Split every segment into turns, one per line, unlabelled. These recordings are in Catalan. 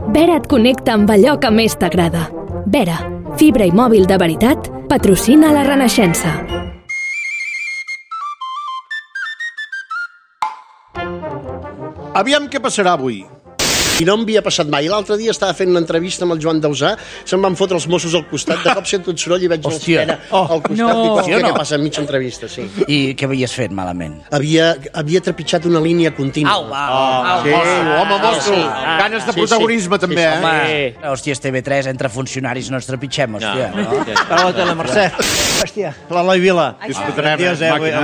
Vera et connecta amb allò que més t'agrada. Vera, fibra i mòbil de veritat, patrocina la Renaixença.
Aviam què passarà avui. I no em havia passat mai. L'altre dia estava fent una entrevista amb el Joan Dausà, se'm van fotre els Mossos al costat, de cop sento un soroll i veig l'esquena al costat. Dic, hòstia, què passa? Mitja entrevista, sí.
I què havies fet malament?
Havia trepitjat una línia contínua.
Sí, home, mosso. Ganes de protagonisme, també, eh?
Home, hòstia, TV3, entre funcionaris no ens trepitgem, hòstia.
Hola, la Mercè. Hòstia, l'Eloi Vila.
Disfrutarem,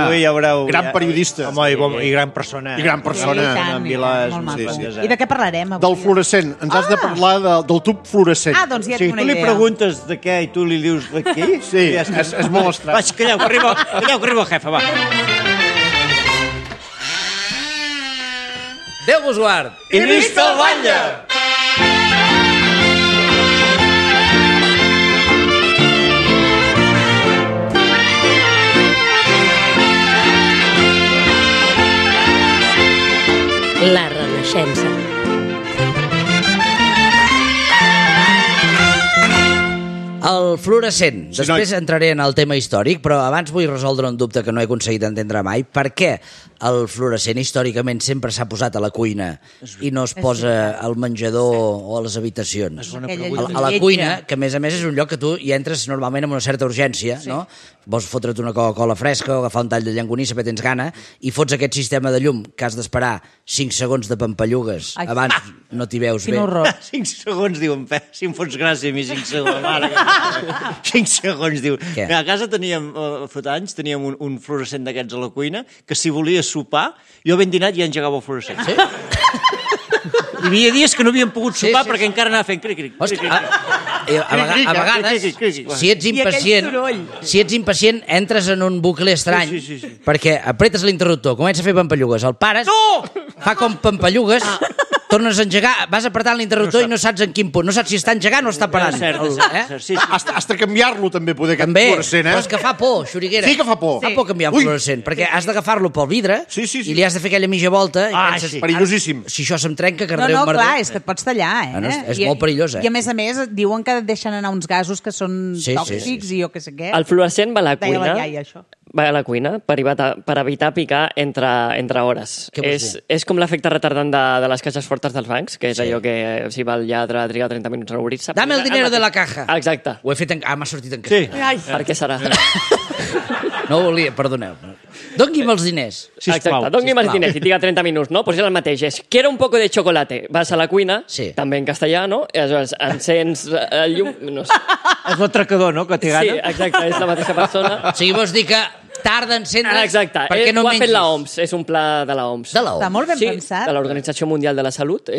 Avui ja veureu...
Gran periodista.
Home, i gran persona.
I gran persona.
En Vila és
molt
un
maco. I de què parlarem avui?
Del fluorescent. Ens has de parlar del tub fluorescent.
Doncs ja
Sí,
tinc una
tu li
idea.
preguntes de què i tu li dius d'aquí?
Sí, és molt estrany.
Vaig, calleu, que arriba el jefe, va.
Déu vos guard!
I visca el batlle!
La Renaixença.
El fluorescent. Després entraré en el tema històric, però abans vull resoldre un dubte que no he aconseguit entendre mai. Per què el fluorescent històricament sempre s'ha posat a la cuina i no es posa al menjador o a les habitacions? A la cuina, que a més és un lloc que tu hi entres normalment amb una certa urgència, no? Vols fotre't una Coca-Cola fresca o agafar un tall de llangonissa perquè tens gana i fots aquest sistema de llum que has d'esperar 5 segons de pampallugues. Abans no t'hi veus bé.
Quin horror.
5 segons, diuen, si em fots gràcia a mi 5 segons. Mare, 5 segons, diu. A casa teníem, fa anys, teníem un fluorescent d'aquests a la cuina que si volia sopar, jo ben dinat ja engegava el fluorescent.
Sí?
Hi havia dies que no havíem pogut sopar perquè encara anava fent cric-cric.
A vegades, si ets impacient, entres en un bucle estrany, perquè apretes l'interruptor, comença a fer pampallugues, el pares, fa com pampallugues, tornes a engegar, vas apretant l'interruptor i no saps en quin punt, no saps si està engegant o està parant.
Has de canviar-lo també, poder, aquest fluorescent,
però és que fa por, xuriguera.
Sí que fa por.
Fa por canviar un fluorescent, perquè has d'agafar-lo pel vidre i li has de fer aquella mitja volta i penses,
perillosíssim.
Si això se'm trenca, que merder.
No, clar, és que et pots tallar,
És molt perillós,
I a més, diuen que et deixen anar uns gasos que són tòxics i jo què sé què.
El fluorescent va a la
Deia
cuina.
la iaia, això.
Va a la cuina per evitar picar entre hores. És com l'efecte retardant de les caixes fortes dels bancs, que és allò que si va el lladre trigar 30 minuts a obrir-se.
Dame el dinero de la caja.
Exacte.
Ho he fet m'ha sortit en castellà.
Sí. Per què serà?
No ho volia, perdoneu. Dongui'm els diners.
Exacte, dongui'm els diners i triga 30 minuts, no? Pues és el mateix, és quiero un poco de chocolate. Vas a la cuina, també en castellà, no? I aleshores encens el llum, no sé.
És l'atracador, no?, que té gana.
Sí, exacte, és la mateixa persona.
O sigui, vols dir que tarda a encendre perquè no
ho ha
mengis.
fet l'OMS, és un pla de l'OMS.
Està molt ben pensat.
De l'Organització Mundial de la Salut.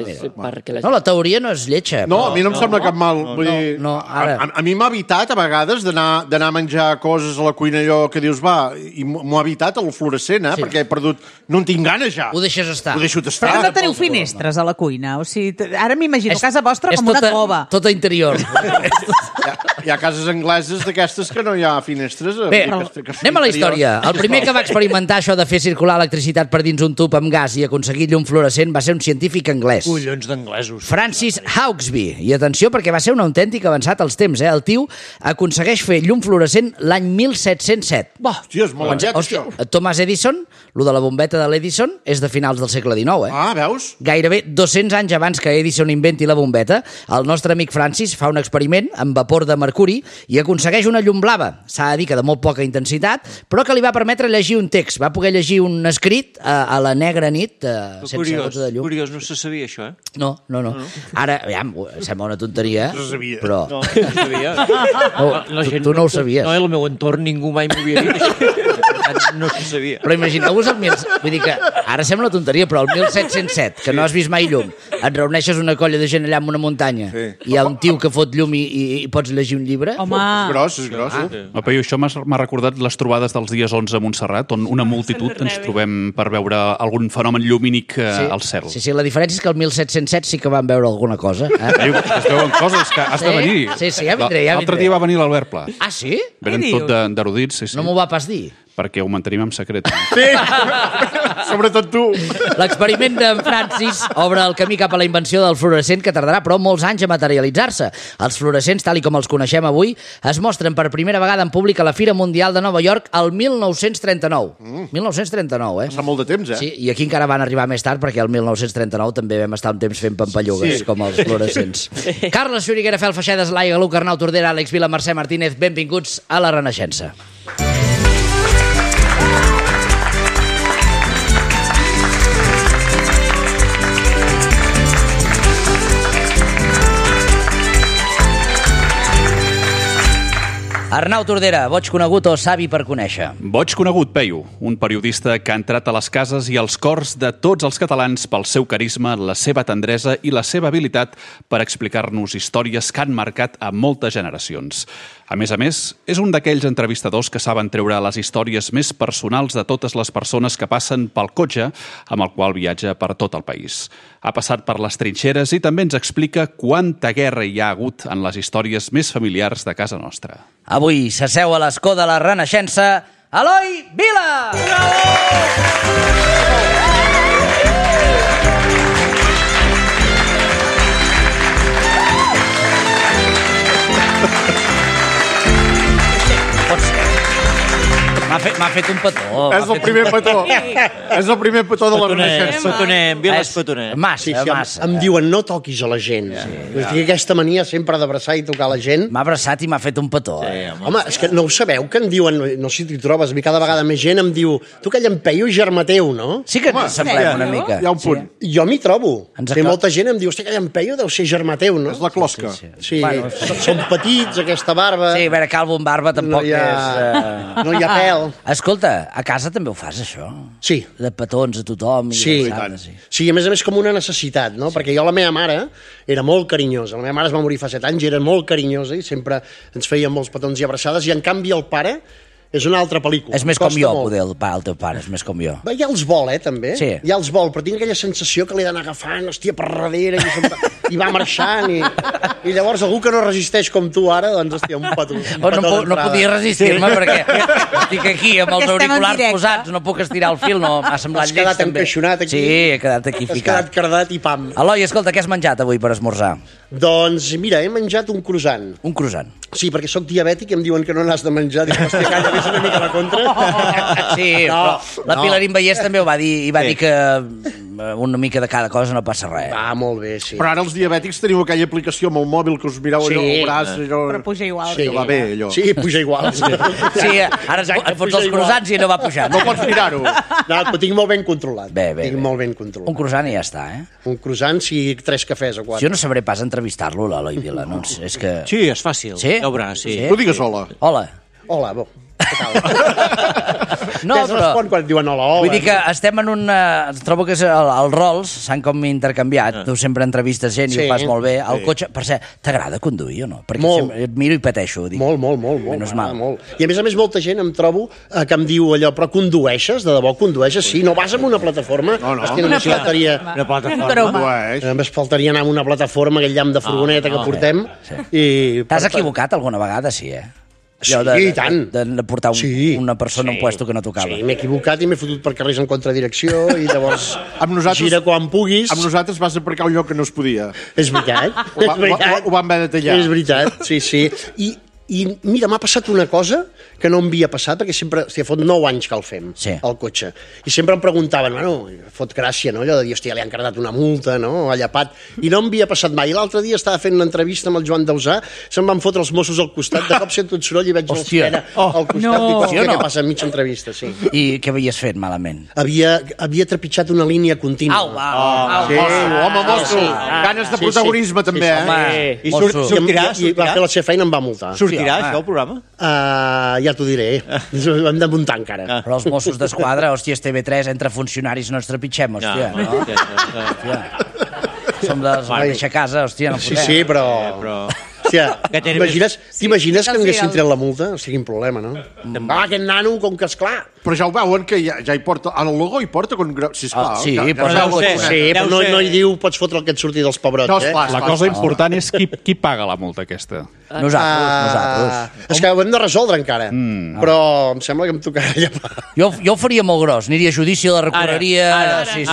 No, la teoria no és lletja.
No, a mi no em sembla cap mal. A mi m'ha evitat a vegades d'anar a menjar coses a la cuina allò que dius, va, i m'ho ha evitat el fluorescent, perquè he perdut... No en tinc ganes ja.
Ho deixes estar.
Ho deixo estar.
Però no teniu finestres a la cuina. O sigui, ara m'imagino casa vostra com una cova.
És tota interior.
Hi ha cases angleses d'aquestes que no hi ha finestres.
Bé, anem a la història. El primer que va experimentar això de fer circular electricitat per dins un tub amb gas i aconseguir llum fluorescent va ser un científic anglès.
Collons d'anglesos.
Francis Hauksbee. I atenció, perquè va ser un autèntic avançat als temps. El tio aconsegueix fer llum fluorescent l'any 1707.
Hòstia, és molt aviat, això.
Thomas Edison, lo de la bombeta de l'Edison, és de finals del segle XIX.
Ah, veus?
Gairebé 200 anys abans que Edison inventi la bombeta, el nostre amic Francis fa un experiment amb vapor de mercuri i aconsegueix una llum blava. S'ha de dir que de molt poca intensitat, però que li va permetre llegir un text. Va poder llegir un escrit a la negra nit sense gots de llum.
Curiós, no se sabia això, eh?
No. Ara, aviam, sembla una tonteria, però...
No se sabia.
Tu no ho sabies.
No, el meu entorn ningú mai m'ho havia dit això. No se sabia.
Però imagineu-vos vull dir que ara sembla tonteria, però el 1707, que no has vist mai llum, et reuneixes una colla de gent allà en una muntanya i hi ha un tio que fot llum i pots llegir un llibre.
Home!
És gros.
I això m'ha recordat les trobades dels dies 11 a Montserrat, on una multitud ens trobem per veure algun fenomen llumínic al cel.
Sí, la diferència és que el 1707 sí que van veure alguna cosa.
Es veuen coses que has de venir.
Sí, ja vindré.
L'altre dia va venir l'Albert Pla.
Ah, sí?
Venen tot d'erudits, sí.
No m'ho va pas dir.
perquè ho mantenim en secret.
Sí, sobretot tu.
L'experiment d'en Francis obre el camí cap a la invenció del fluorescent, que tardarà però molts anys a materialitzar-se. Els fluorescents, tal i com els coneixem avui, es mostren per primera vegada en públic a la Fira Mundial de Nova York el 1939. 1939,
Passa molt de temps,
Sí, i aquí encara van arribar més tard, perquè el 1939 també vam estar un temps fent pampallugues, com els fluorescents. Carles Xuriguera, Fel Feixedes, Laia Galuc, Arnau Tordera, Àlex Vila, Mercè Martínez, benvinguts a La Renaixença. Arnau Tordera, boig conegut o savi per conèixer?
Boig conegut, Peyu, un periodista que ha entrat a les cases i als cors de tots els catalans pel seu carisma, la seva tendresa i la seva habilitat per explicar-nos històries que han marcat a moltes generacions. A més, és un d'aquells entrevistadors que saben treure les històries més personals de totes les persones que passen pel cotxe amb el qual viatja per tot el país. Ha passat per les trinxeres i també ens explica quanta guerra hi ha hagut en les històries més familiars de casa nostra.
Avui s'asseu a l'escó de La Renaixença, Eloi Vila! M'ha fet un petó.
És el primer petó. És el primer petó de La Renaixença.
Petoner, Viles Petoner.
Massa.
Em diuen, no toquis a la gent. Tinc aquesta mania sempre d'abraçar i tocar la gent.
M'ha abraçat i m'ha fet un petó.
Home, és que no ho sabeu, que em diuen, no sé si t'hi trobes, a mi cada vegada més gent em diu, tu que llampeio germà teu, no?
Sí que ens semblem una mica.
Hi ha un punt.
Jo m'hi trobo. Molta gent em diu, hosti, que llampeio deu ser germà teu, no?
És la closca.
Sí, són petits, aquesta barba.
Sí, a veure, calvo amb barba tampoc és...
No hi ha pèl.
Escolta, a casa també ho fas, això?
Sí.
De petons a tothom.
Sí, a més com una necessitat, no? Perquè jo la meva mare era molt carinyosa. La meva mare es va morir fa 7 anys i era molt carinyosa i sempre ens feia molts petons i abraçades, i en canvi el pare és una altra pel·lícula.
És més com jo, poder, el teu pare, és més com jo.
Ja els vol, també.
Sí.
Ja els vol, però tinc aquella sensació que l'he d'anar agafant, hòstia, per darrere, i va marxant, i llavors algú que no resisteix com tu ara, doncs, hòstia, un petó
no podia resistir-me, perquè estic aquí amb els auriculars posats, no puc estirar el fil, no m'ha semblat lleig, també.
Has quedat encaixonat aquí.
Sí, he quedat aquí ficat.
Has quedat cardat i pam.
Eloi, escolta, què has menjat avui per esmorzar?
Doncs, mira, he menjat un croissant.
Un croissant?
Sí, perquè sóc diabètic i em diuen que no n'has de menjar. Dic, hòstia, calla, ves una mica a la contra.
Sí, però la Pilarín Vallès també ho va dir, i va dir que una mica de cada cosa no passa res.
Va, molt bé, sí.
Però ara els diabètics teniu aquella aplicació amb el mòbil que us mireu allò al braç.
Però puja igual.
Sí, va bé, allò.
Sí, puja igual.
Sí, ara et fots els croissants i no va pujar.
No pots mirar-ho.
No, ho tinc molt ben controlat.
Bé.
Tinc molt ben controlat.
Un croissant i ja està,
Un croissant, sí, 3 cafès o 4.
Jo no sabré pas entrevistar-lo, l'Eloi Vila. No, és que...
Sí, és fàcil.
Sí?
Ja ho veuràs, sí.
Tu digues hola.
Hola.
Hola, bo.
No,
què es respon quan et diuen hola, hola?
Vull dir que estem en un... Trobo que és els rols s'han com intercanviat. Tu sempre entrevistes gent i ho fas molt bé. El cotxe, per cert, t'agrada conduir o no? Perquè et miro i pateixo.
Molt.
Menys mal.
I a més molta gent em trobo que em diu allò, però condueixes? De debò condueixes? Sí, no vas amb una plataforma?
No.
Només faltaria anar amb una plataforma, aquell llamp de furgoneta que portem.
T'has equivocat alguna vegada, sí,
Sí, i tant.
De portar una persona a un puesto que no tocava.
Sí, m'he equivocat i m'he fotut per carrers en contradirecció i llavors gira quan puguis.
Amb nosaltres vas aparcar un lloc que no es podia.
És veritat.
Ho vam haver de tallar.
És veritat, sí. I mira, m'ha passat una cosa que no em havia passat, perquè sempre, fot 9 anys que el fem, el cotxe. I sempre em preguntaven, fot gràcia, no? Allò de dir, hòstia, li han cardat una multa, no? Ha llapat. I no em havia passat mai. I l'altre dia estava fent una entrevista amb el Joan Dausà, se'm van fotre els Mossos al costat, de cop sento un soroll i veig l'espera al costat. Dic, hòstia, què passa enmig entrevista, sí.
I què havies fet malament?
Havia trepitjat una línia contínua.
Home, mosso. Ganes de protagonisme, també,
I sortirà?
I va fer la seva feina i em va multar.
Sortirà, això, el programa?
Ja t'ho diré. Hem de muntar encara.
Però els Mossos d'Esquadra, hòstia, TV3, entre funcionaris no ens trepitgem, hòstia. Som de la mateixa casa, hòstia, no podem.
Sí, però... Hòstia, t'imagines que m'haguessin tret la multa? O sigui, quin problema, no? Aquest nano, com que, esclar,
Però ja ho veuen, que ja hi porta... Al logo hi porta... Sisplau.
Sí,
però no hi diu pots fotre el que et surti dels pebrots.
La cosa important és qui paga la multa aquesta.
Nosaltres.
És que ho hem de resoldre encara. Però em sembla que em tocarà llepar.
Jo ho faria molt gros. Aniria a judici, la recorreria...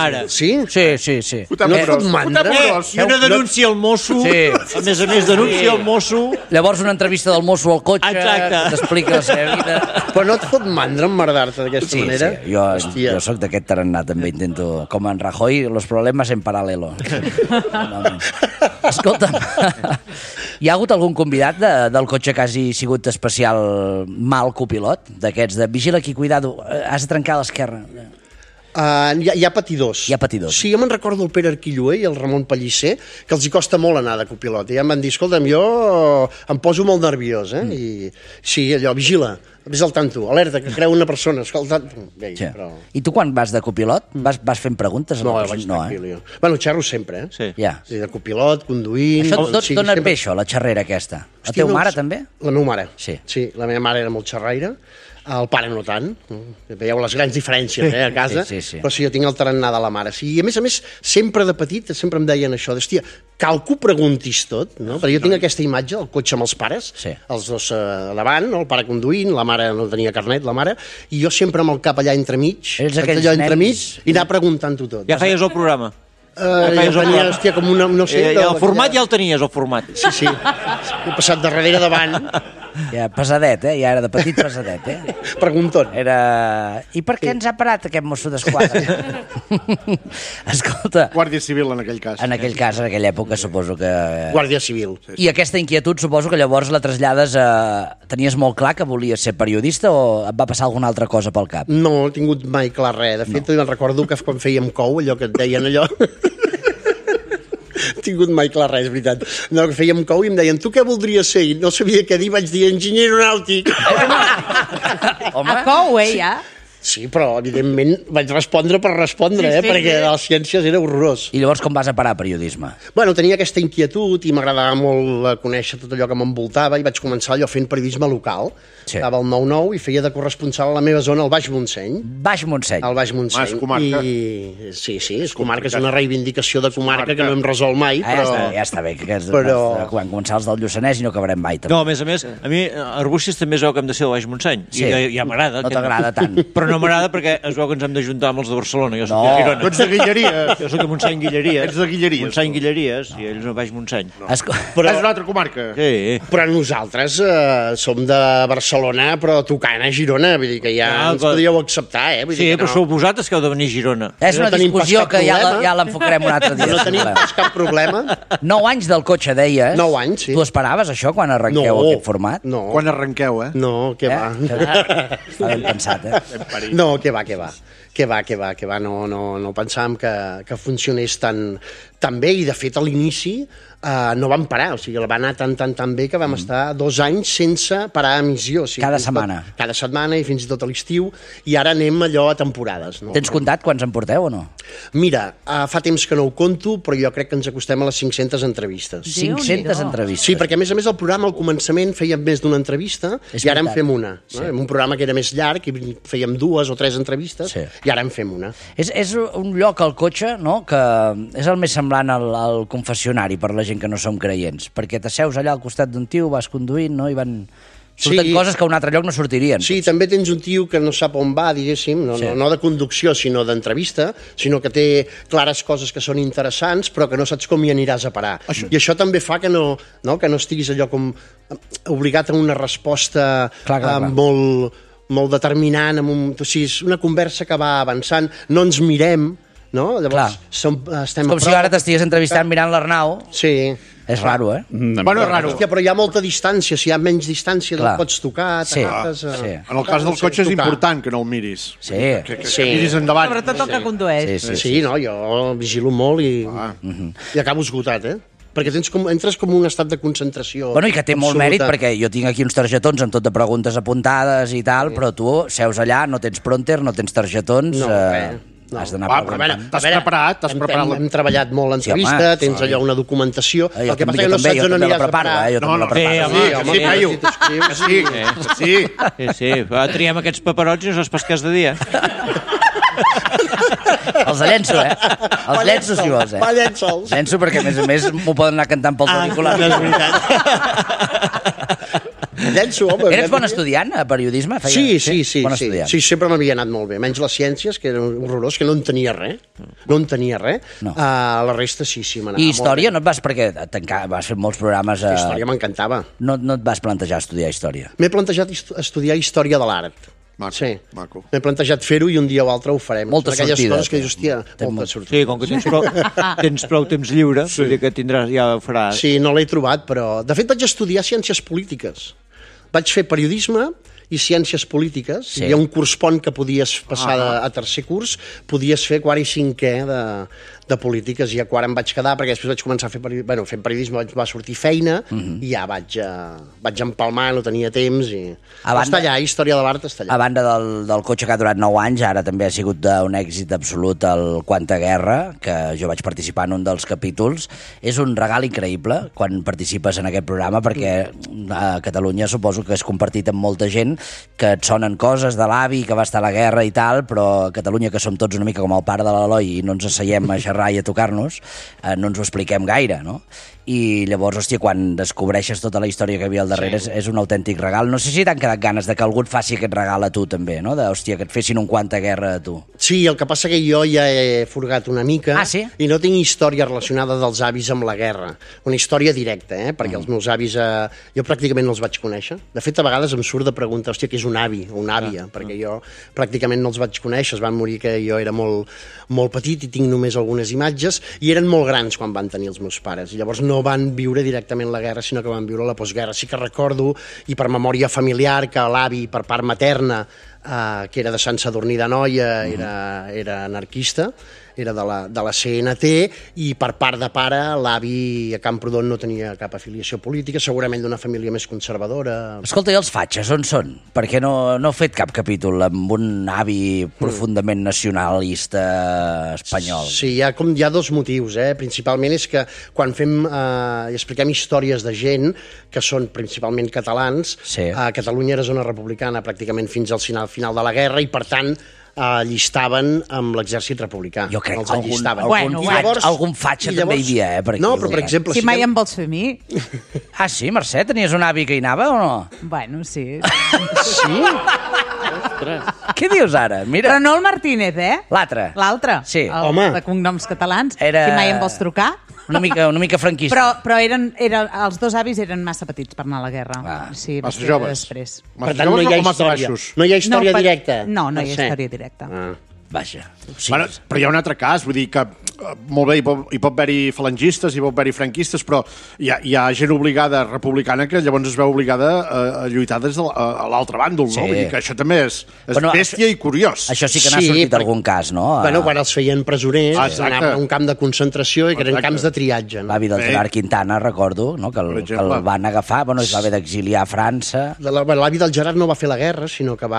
Ara. Sí?
Sí.
No et fot mandra?
I una denúncia al mosso. A més, denúncia al mosso.
Llavors una entrevista del mosso al cotxe, que t'explica la seva vida.
Però no et fot mandra emmerdar-te d'aquesta manera?
Sí, jo soc d'aquest tarannà, també intento, com en Rajoy, los problemas en paralelo. Escolta'm, hi ha hagut algun convidat del cotxe que hagi sigut especial mal copilot? D'aquests de vigila aquí, cuidado, has de trencar a l'esquerra.
Hi ha patidors.
Hi ha patidors.
Sí, jo me'n recordo el Pere Arquilloé i el Ramon Pellicer, que els hi costa molt anar de copilot. I ja em van dir, escolta'm, jo em poso molt nerviós, I sí, allò, vigila, vés al tanto, alerta, que creu una persona, escolta... Però...
I tu quan vas de copilot vas fent preguntes?
No, vaig tranquil, jo. Bueno, xerro sempre,
Sí.
Ja.
De copilot, conduint...
Això dona bé, això, la xerrera aquesta. La teva mare, també?
La meva mare.
Sí,
la meva mare era molt xerraire. El pare no tant, veieu les grans diferències a casa, però sí, jo tinc el tarannà de la mare. Sí, i a més, sempre de petit, sempre em deien això, hòstia, cal que ho preguntis tot, no? Perquè jo tinc aquesta imatge, el cotxe amb els pares, els dos davant, el pare conduint, la mare no tenia carnet, la mare, i jo sempre amb el cap allà entremig, i anar preguntant-ho tot.
Ja feies el programa?
Tenia, hòstia, com una... No sé,
el format ja el tenies, el format.
Sí. He passat de darrere davant.
Ja, pesadet, ja era de petit pesadet,
Pregunton.
I per què ens ha parat aquest mosso d'esquadra? Escolta...
Guàrdia Civil, en aquell cas.
En aquella època, suposo que...
Guàrdia Civil.
I aquesta inquietud, suposo que llavors la trasllades a... Tenies molt clar que volies ser periodista o et va passar alguna altra cosa pel cap?
No, he tingut mai clar res. De fet, me'n recordo que quan fèiem cou, allò que et deien allò... tingut mai clar res, és veritat. No, que fèiem cou i em deien, tu què voldries ser? I no sabia què dir, vaig dir enginyer aeronàutic.
Home, a cou, ja?
Sí, però evidentment vaig respondre per respondre, perquè de les ciències era horrorós.
I llavors com vas a parar a periodisme?
Bueno, tenia aquesta inquietud i m'agradava molt conèixer tot allò que m'envoltava i vaig començar allò fent periodisme local. Estava al 9-9 i feia de corresponsal a la meva zona, al Baix Montseny.
Baix Montseny?
Al Baix Montseny.
És comarca.
Sí, és comarca, és una reivindicació de comarca que no hem resolt mai, però...
Ja està bé, que quan començar els del Lluçanès i no acabarem mai.
No, a més, a mi Arbúcies també es veu que hem de ser del Baix Montseny. I ja m'agrada.
No t'agrada tant.
Però no m'agrada perquè es veu que ens hem d'ajuntar amb els de Barcelona. Jo soc de Girona.
Tu ets de Guilleries.
Jo soc de Montseny-Guilleries.
Ets de Guilleries.
Montseny-Guilleries i ells no Baix Montseny.
Però
és una altra comarca.
Sí.
Però nosaltres som de Barcelona, però tocant a Girona. Vull dir que ja ens podíeu acceptar,
Sí, però sou vosaltres que heu de venir a Girona.
És una discussió que ja l'enfocarem un altre dia.
No tenim cap problema.
9 anys del cotxe, deies.
9 anys, sí.
Tu esperaves això quan arrenqueu aquest format?
No.
Quan arrenqueu,
No, què va.
Està ben pensat,
No, què va. Que va, no pensàvem que funcionés tan bé, i de fet a l'inici no vam parar, o sigui, va anar tan bé que vam estar 2 anys sense parar emissió. O sigui,
cada setmana.
Cada setmana i fins i tot a l'estiu, i ara anem allò a temporades. No?
Tens comptat quants en porteu o no?
Mira, fa temps que no ho conto, però jo crec que ens acostem a les 500 entrevistes.
500 entrevistes?
Sí, perquè a més el programa al començament fèiem més d'una entrevista i ara en fem una. No? Un programa que era més llarg i fèiem 2 o 3 entrevistes i ara en fem una.
És un lloc al cotxe, no?, que és el més semblant al confessionari per la gent que no som creients, perquè t'asseus allà al costat d'un tio, vas conduint, no?, i surten coses que a un altre lloc no sortirien.
Sí, també tens un tio que no sap on va, diguéssim, no de conducció, sinó d'entrevista, sinó que té clares coses que són interessants, però que no saps com hi aniràs a parar. I això també fa que no estiguis allò com obligat a una resposta molt determinant, o sigui, és una conversa que va avançant, no ens mirem, no? Llavors, estem
com si ara t'estigués entrevistant mirant l'Arnau.
Sí.
És raro,
Bueno, és raro. Hòstia, però hi ha molta distància, si hi ha menys distància no el pots tocar.
En el cas del cotxe és important que no el miris.
Sí.
Que miris endavant.
Sobretot el que condueix.
Sí, no, jo vigilo molt i acabo esgotat, perquè entres com un estat de concentració.
Bueno, i que té molt mèrit, perquè jo tinc aquí uns targetons amb tot de preguntes apuntades i tal, però tu seus allà, no tens prompter, no tens targetons... Has d'anar preguntant.
T'has preparat
Hem treballat molt l'entrevista, tens allò una documentació. El que passa que no saps on aniràs a parar.
Sí, triem aquests paperots i no saps pas què has de dir,
Els de llenço, Els llenço, si vols,
Va, llenço'ls.
Llenço perquè, a més, m'ho poden anar cantant pels auriculars.
No és veritat. Llenço, home.
Eres bon estudiant a periodisme?
Sí, sempre m'havia anat molt bé. Menys les ciències, que era horrorós, que no entenia res. La resta sí, m'anava molt bé.
I història? No et vas, perquè vas fer molts programes...
Història m'encantava.
No et vas plantejar estudiar història?
M'he plantejat estudiar història de l'art.
Maco.
M'he plantejat fer-ho i un dia o altre ho farem.
Molta sortida.
Aquelles coses que dius, hòstia, molta sortida.
Sí, com que tens prou temps lliure, vull dir que ja ho faràs.
Sí, no l'he trobat, però... De fet, vaig estudiar ciències polítiques. Vaig fer periodisme i ciències polítiques. Hi ha un curs pont que podies passar a tercer curs, podies fer quart i cinquè de polítiques, i a quart em vaig quedar, perquè després vaig començar a fer fent periodisme, va sortir feina, i ja vaig empalmar, no tenia temps, i està allà, història de l'art està allà.
A banda del cotxe que ha durat 9 anys, ara també ha sigut un èxit absolut el Quanta Guerra, que jo vaig participar en un dels capítols. És un regal increïble quan participes en aquest programa, perquè a Catalunya suposo que és compartit amb molta gent, que et sonen coses de l'avi que va estar a la guerra i tal, però a Catalunya, que som tots una mica com el pare de l'Eloi i no ens asseiem a xerrar i a tocar-nos, no ens ho expliquem gaire, no? I llavors, hòstia, quan descobreixes tota la història que hi havia al darrere, és un autèntic regal. No sé si t'han quedat ganes de que algú et faci aquest regal a tu també, no? Hòstia, que et fessin un Quanta Guerra a tu.
Sí, el que passa que jo ja he furgat una mica i no tinc història relacionada dels avis amb la guerra. Una història directa, perquè els meus avis jo pràcticament no els vaig conèixer. De fet, a vegades em surt de preguntar, hòstia, què és un avi o una àvia? Perquè jo pràcticament no els vaig conèixer, es van morir que jo era molt petit i tinc només algunes imatges, i eren molt grans quan van tenir els meus pares, i llavors no van viure directament la guerra, sinó que van viure la postguerra. Sí que recordo, i per memòria familiar, que l'avi per part materna, que era de Sant Sadurní d'Anoia, era anarquista, era de la CNT, i per part de pare, l'avi a Camprodon no tenia cap afiliació política, segurament d'una família més conservadora.
Escolta, i els fatxes, on són? Perquè no heu fet cap capítol amb un avi profundament nacionalista espanyol.
Sí, hi ha dos motius, Principalment és que quan fem i expliquem històries de gent que són principalment catalans, a Catalunya era zona republicana pràcticament fins al final de la guerra, i per tant llistaven amb l'exèrcit republicà.
Jo crec que algun fatxa també hi havia, per aquí.
No, però per exemple...
Si mai em vols fer a mi...
Ah, sí, Mercè? Tenies un avi que hi anava o no?
Bueno, sí.
Sí? Què dius ara? Mira.
Però no el Martínez,
L'altre.
L'altre.
Sí.
De cognoms catalans. Si mai em vols trucar...
Una mica franquista.
Però els dos avis eren massa petits per anar a la guerra. Sí,
massa joves.
Després.
Per tant, no hi ha història. No hi ha història directa.
No hi ha història directa.
Vaja.
Sí, bueno, però hi ha un altre cas, vull dir que molt bé, hi pot haver-hi falangistes, hi pot haver-hi franquistes, però hi ha gent obligada republicana que llavors es veu obligada a lluitar des de l'altre bàndol, no? Vull dir que això també és bèstia i curiós.
Això sí que n'ha sortit algun cas, no?
Bueno, quan els feien presoners, anaven a un camp de concentració i que eren camps de triatge.
L'avi del Gerard Quintana, recordo, que el van agafar, es va haver d'exiliar a França.
L'avi del Gerard no va fer la guerra, sinó que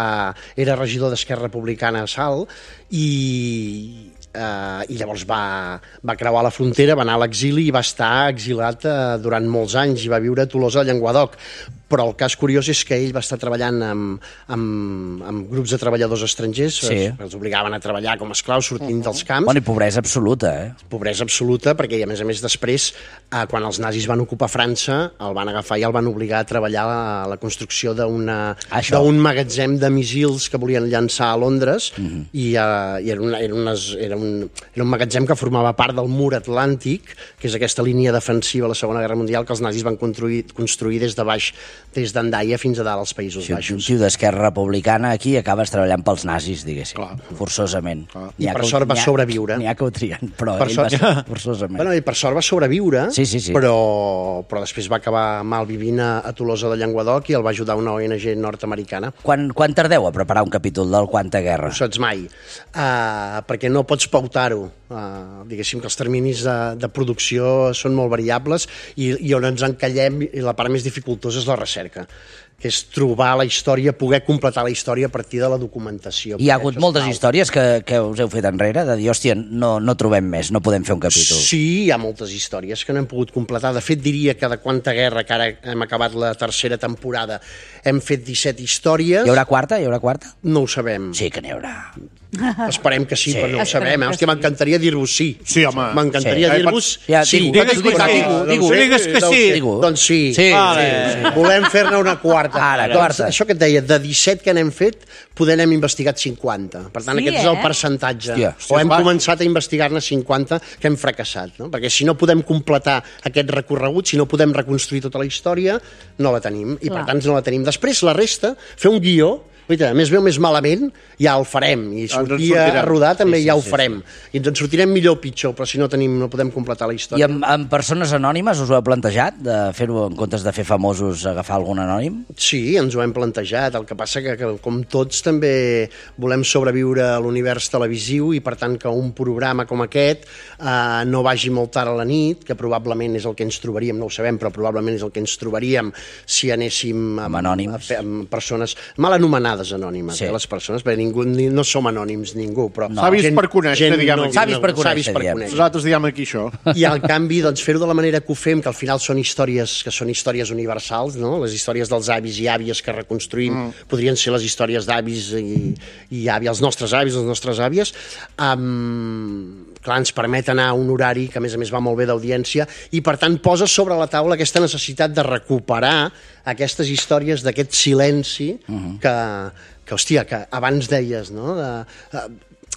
era regidor d'Esquerra Republicana a Salt, i llavors va creuar la frontera, va anar a l'exili i va estar exilat durant molts anys i va viure a Tolosa de Llenguadoc. Però el cas curiós és que ell va estar treballant amb grups de treballadors estrangers, els obligaven a treballar com esclaus sortint dels camps.
Bueno, i pobresa absoluta,
Pobresa absoluta, perquè a més després, quan els nazis van ocupar França, el van agafar i el van obligar a treballar a la construcció d'un magatzem de missils que volien llançar a Londres, i era un magatzem que formava part del mur atlàntic, que és aquesta línia defensiva a la Segona Guerra Mundial que els nazis van construir des de baix, des d'Andaia fins a dalt als Països Baixos.
Un tio d'Esquerra Republicana aquí acabes treballant pels nazis, diguéssim, forçosament.
I per sort va sobreviure.
N'hi ha que ho trien, però ell va ser forçosament.
Bueno, i per sort va sobreviure,
sí.
però després va acabar mal vivint a Tolosa de Llenguadoc i el va ajudar una ONG nord-americana.
Quan tardeu a preparar un capítol del Quanta Guerra?
No saps mai, perquè no pots pautar-ho. Diguéssim que els terminis de producció són molt variables i on ens encallem, i la part més dificultosa és la recerca, que és trobar la història, poder completar la història a partir de la documentació.
Hi ha hagut moltes històries que us heu fet enrere, de dir, hòstia, no trobem més, no podem fer un capítol.
Sí, hi ha moltes històries que no hem pogut completar. De fet, diria que de Quanta Guerra, que ara hem acabat la tercera temporada, hem fet 17 històries.
Hi haurà quarta?
No ho sabem.
Sí que n'hi haurà.
Esperem que sí, però no ho sabem. Hòstia, m'encantaria dir-vos sí.
Sí, home.
M'encantaria dir-vos sí.
Digues que sí.
Doncs sí.
Sí.
Volem fer-ne una quarta.
Ara,
doncs,
quarta.
això que et deia, de 17 que n'hem fet, poder n'hem investigat 50. Per tant, aquest és el percentatge. O hem començat a investigar-ne 50 que hem fracassat, no? Perquè si no podem completar aquest recorregut, si no podem reconstruir tota la història, no la tenim. I per tant no la tenim. Després, la resta, fer un guió, més bé o més malament, ja el farem. I sortir a rodar també ja ho farem. I ens en sortirem millor o pitjor, però si no podem completar la història.
I amb persones anònimes us ho heu plantejat, de fer-ho en comptes de fer famosos, agafar algun anònim?
Sí, ens ho hem plantejat. El que passa que com tots, també volem sobreviure a l'univers televisiu i, per tant, que un programa com aquest no vagi molt tard a la nit, que probablement és el que ens trobaríem, no ho sabem, però probablement és el que ens trobaríem si anéssim amb persones mal anomenades anònimes, les persones, perquè no som anònims ningú, però...
Savis per conèixer, diguem aquí.
Savis per conèixer.
Nosaltres diguem aquí això.
I al canvi, doncs, fer-ho de la manera que ho fem, que al final són històries universals, no? Les històries dels avis i àvies que reconstruïm podrien ser les històries d'avis i àvies, els nostres avis, les nostres àvies. Clar, ens permet anar a un horari que, a més va molt bé d'audiència i, per tant, posa sobre la taula aquesta necessitat de recuperar aquestes històries d'aquest silenci que, hòstia, que abans deies, no?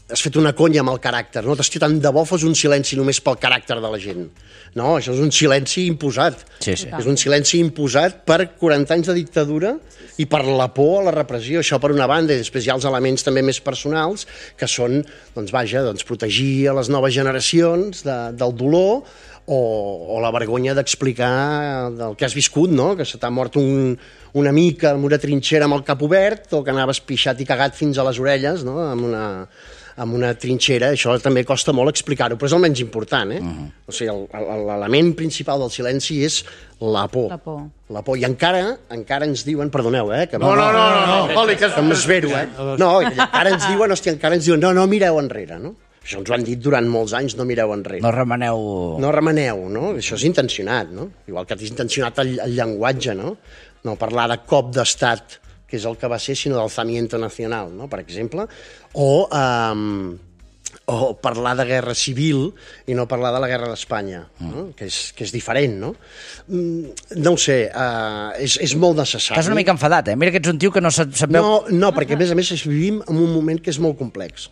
Has fet una conya amb el caràcter, no? Hòstia, tant de bo fos un silenci només pel caràcter de la gent. No, això és un silenci imposat.
Sí.
És un silenci imposat per 40 anys de dictadura i per la por a la repressió. Això per una banda, i després hi ha els elements també més personals, que són, protegir a les noves generacions del dolor o la vergonya d'explicar del que has viscut, no? Que se t'ha mort un amic en una trinxera amb el cap obert o que anaves pixat i cagat fins a les orelles, no? Amb una trinxera. Això també costa molt explicar-ho, però és el menys important, O sigui, l'element principal del silenci és la por. La por. I encara ens diuen, perdoneu, que...
No.
Que m'esvero, No, encara ens diuen, no, mireu enrere, no? Això ens ho han dit durant molts anys, no mireu enrere.
No remeneu.
No remeneu, no? Això és intencionat, no? Igual que és intencionat el llenguatge, no? No parlar de cop d'estat, que és el que va ser, sinó d'alzamiento nacional, no? Per exemple. O parlar de guerra civil i no parlar de la guerra d'Espanya, no? Que és diferent, no? No ho sé, és molt necessari.
Estàs una mica enfadat, Mira que ets un tio que no sap...
No, perquè a més vivim en un moment que és molt complex.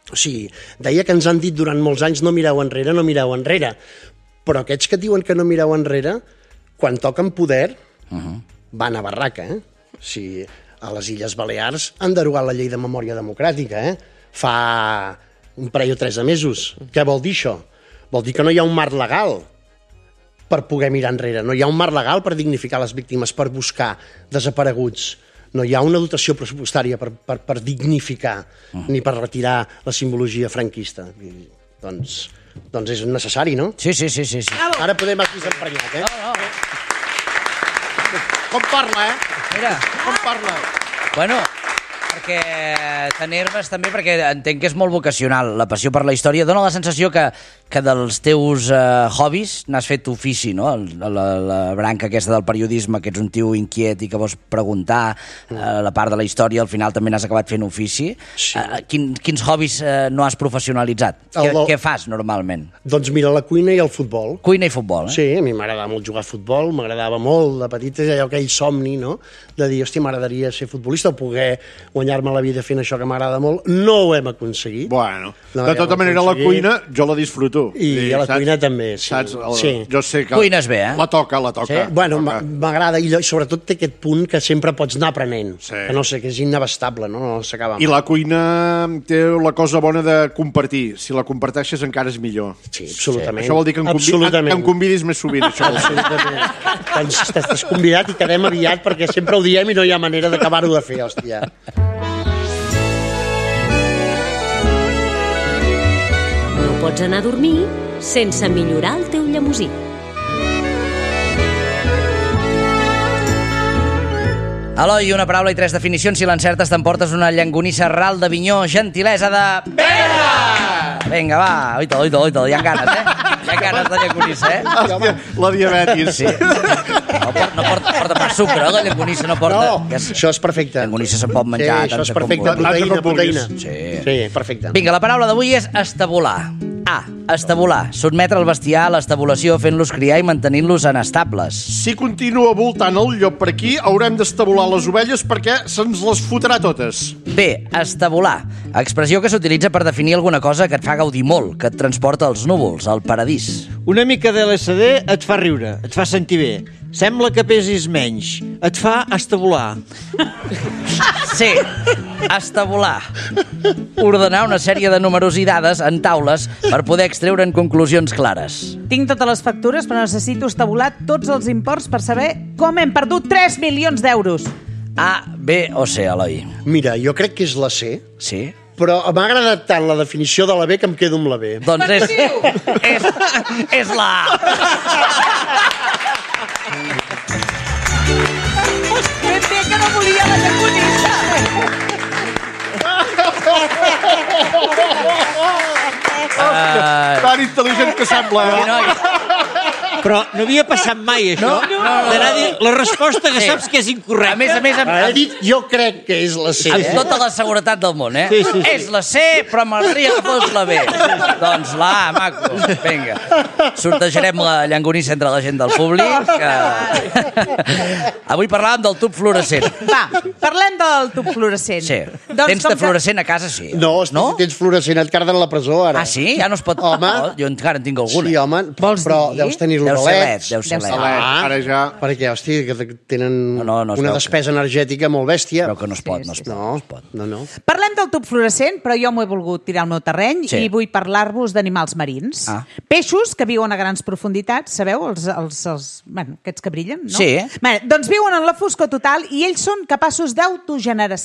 O sigui, deia que ens han dit durant molts anys no mireu enrere, però aquests que diuen que no mireu enrere, quan toquen poder, van a barraca, O sigui, a les Illes Balears han derogat la llei de memòria democràtica, Fa un parell o 3 de mesos. Què vol dir això? Vol dir que no hi ha un marc legal per poder mirar enrere, no hi ha un marc legal per dignificar les víctimes, per buscar desapareguts. No hi ha una dotació pressupostària per dignificar ni per retirar la simbologia franquista. Doncs és necessari, no?
Sí.
Ara podem aquí s'emprenyat,
Com parla,
Mira.
Com parla.
Bueno, perquè tenir-mes també, perquè entenc que és molt vocacional, la passió per la història. Dóna la sensació que dels teus hobbies n'has fet ofici, no? La branca aquesta del periodisme, que ets un tio inquiet i que vols preguntar la part de la història, al final també n'has acabat fent ofici. Sí. Quins hobbies no has professionalitzat? Què fas normalment?
Doncs mira, la cuina i el futbol.
Cuina i futbol,
Sí, a mi m'agradava molt jugar a futbol, m'agradava molt de petit, allò aquell somni, no?, de dir, hòstia, m'agradaria ser futbolista o poder guanyar-me la vida fent això que m'agrada molt. No ho hem aconseguit.
Bueno, de tota manera, la cuina jo la disfruto.
I a la cuina també, sí.
Saps? Jo sé que...
Cuines bé,
La toca.
Sí? Bueno, m'agrada, i sobretot té aquest punt que sempre pots anar aprenent. Sí. Que no sé, que és inabastable, no s'acaba mai.
I la cuina té la cosa bona de compartir. Si la comparteixes encara és millor.
Sí, absolutament.
Això vol dir que em convidis més sovint, això.
Absolutament. Doncs estàs convidat i quedem aviat, perquè sempre ho diem i no hi ha manera d'acabar-ho de fer, hòstia.
Pots anar a dormir sense millorar el teu llemosí.
Eloi, una paraula i 3 definicions. Si l'encertes t'emportes una llonganissa ral de Vinyó, gentilesa de... Vinga, va, oita, hi ha ganes, Hi ha ganes de llonganissa,
Hòstia, la diabetis.
Sí. No porta pas sucre, la llonganissa no porta...
No, això és perfecte.
Llonganissa se'n pot menjar
això és perfecte, proteïna.
Sí,
perfecte.
Vinga, la paraula d'avui és estabular. A. Estabular. Sotmetre el bestiar a l'estabulació fent-los criar i mantenint-los en estables.
Si continua voltant el llop per aquí, haurem d'estabular les ovelles perquè se'ns les fotrà totes.
B. Estabular. Expressió que s'utilitza per definir alguna cosa que et fa gaudir molt, que et transporta als núvols, al paradís.
Una mica de LSD et fa riure, et fa sentir bé. Sembla que pesis menys. Et fa estabular.
C. Estabular. Ordenar una sèrie de números i dades en taules per poder extreure'n conclusions clares.
Tinc totes les factures, però necessito estabular tots els imports per saber com hem perdut 3 milions d'euros.
A, B o C, Eloi?
Mira, jo crec que és la C.
Sí?
Però m'ha agradat tant la definició de la B que em quedo amb la B.
Doncs és la A.
Ben bé que no volia la llonganissa.
Tan intel·ligent que sembla.
Però no havia passat mai, això. D'anar a dir la resposta que saps que és incorrecta.
A més,
He dit, jo crec que és la C.
amb tota la seguretat del món,
Sí.
És la C, però m'agradaria que fos la B. Doncs la A, maco. Vinga. Sortejarem la llonganissa entre la gent del públic. Avui parlàvem del tub fluorescent.
Va, parlem del tub fluorescent.
Sí.
Doncs
Tens de fluorescent a casa, sí.
No, si tens fluorescent et carden a la presó, ara.
Ah, sí? Ja no es pot...
Home.
Oh, jo encara en tinc alguna.
Sí, home, però deus tenir-lo
Deu ser
leds.
LED.
Ara ja...
Perquè, hòstia, que tenen
No es
una
veu
despesa energètica molt bèstia.
Però que no es pot, no es pot.
No.
Parlem del tub fluorescent, però jo m'ho he volgut tirar al meu terreny i vull parlar-vos d'animals marins. Peixos que viuen a grans profunditats, sabeu? Bueno, aquests que brillen, no?
Sí.
Bé, doncs viuen en la foscor total i ells són capaços d'autogenerar